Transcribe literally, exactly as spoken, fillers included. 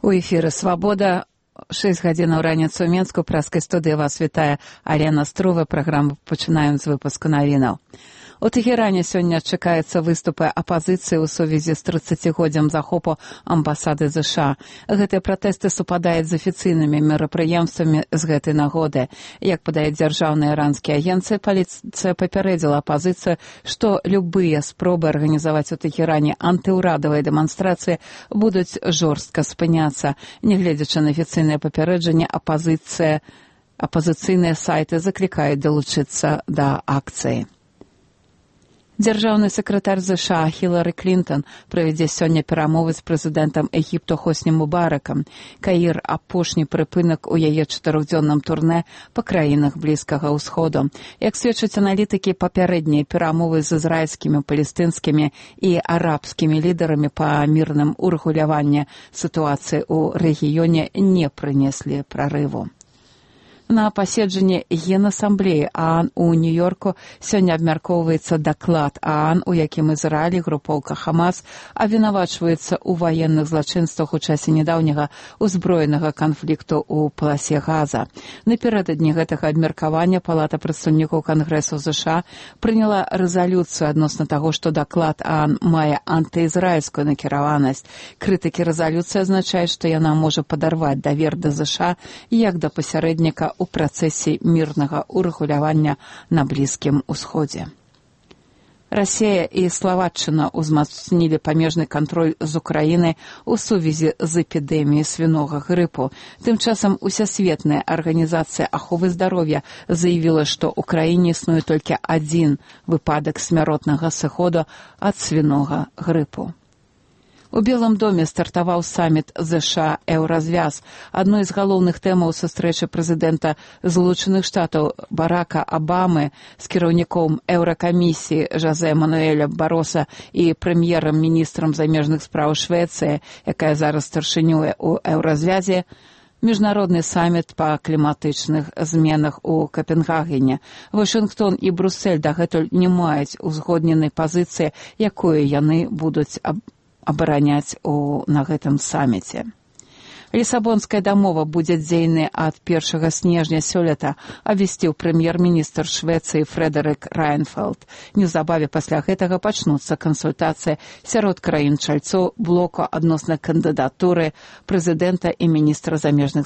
У эфіры «Свабода». шэсць гадзінаў раніцы ў Менску. Праскай студыі вас вітае Алена Струва. Праграму пачынаем з выпуску навінаў. У Тэхеране сёння чакаюцца выступы апазіцыі ў сувязі з трыццацігоддзям захопу амбасады ЗША. Гэтыя пратэсты супадаюць з афіцыйнымі мерапрыемствамі з гэтай нагоды. Як падае дзяржаўныя іранскія агенцыі, паліцыя папярэдзіла апазіцыю, што любыя спробы арганізаваць у Тэхеране антыўрадавыя дэманстрацыі будуць жорстка спыняцца. Нягледзячы на афіцыйнае папярэджанне, апазіцыя, апазіцыйныя сайты заклікаюць далучыцца да акцыі. Дзяржаўны сакратар ЗША Хілары Клінтон правядзе сёння перамовы з прэзідэнтам Егіпту Хосні Мубаракам. Каір – апошні прыпынак у яе чатырохдзённым турнэ па краінах Блізкага ўсходу. Як сведчаць аналітыкі, папярэднія перамовы з ізраільскімі, палестынскімі і арабскімі лідарамі па мірным урэгуляванні сітуацыі ў рэгіёне не прынеслі прарыву. На паседжанні Генасамблеі ААН у Нью-Йорку сёння абмяркоўваецца даклад ААН, у якім Ізраіль і групоўка Хамас абвінавачваюцца ў ваенных злачынствах у часе нядаўняга узброенага канфлікту ў паласе Газа. Напярэдадні гэтага абмеркавання Палата прадстаўнікоў Кангрэсу ЗША прыняла рэзалюцыю адносна таго, што даклад ААН мае антыізраільскую накіраванасць. Крытыкі рэзалюцыі азначаюць, што яна можа падарваць давер да ЗША як да пасярэдніка у працэсе мірнага урэгулявання на Блізкім Усходзе. Расія і Славаччына ўзмацнілі памежны кантроль з Украінай у сувязі з эпідэміяй свінога грыпу. Тым часам Усесветная арганізацыя аховы здароўя заявіла, што ў краіне існуе толькі адзін выпадак смяротнага сыходу ад свінога грыпу. У Белым доме стартаваў саміт ЗША «Еўразвяз». Адной з галоўных тэмаў сустрэчы прэзідэнта Злучаных Штатаў Барака Абамы з кіраўніком Еўракамісіі Жозе Мануэля Бароса і прэм'ерам-міністрам замежных спраў Швецыі, якая зараз старшынюе ў Еўразвязе, міжнародны саміт па кліматычных зменах у Капенгагене. Вашынгтон і Брусэль дагэтуль не маюць узгодненай пазіцыі, якую яны будуць аб абараняць у, на гэтым саміце. Лісабонская дамова будзе дзейнай ад першага снежня сёлета, абвясціў прэм'ер-міністр Швецыі Фрэдэрык Райнфэлд. Неўзабаве пасля гэтага пачнуцца кансультацыі сярод краін-чальцоў блоку адносна кандыдатуры прэзідэнта і міністра замежных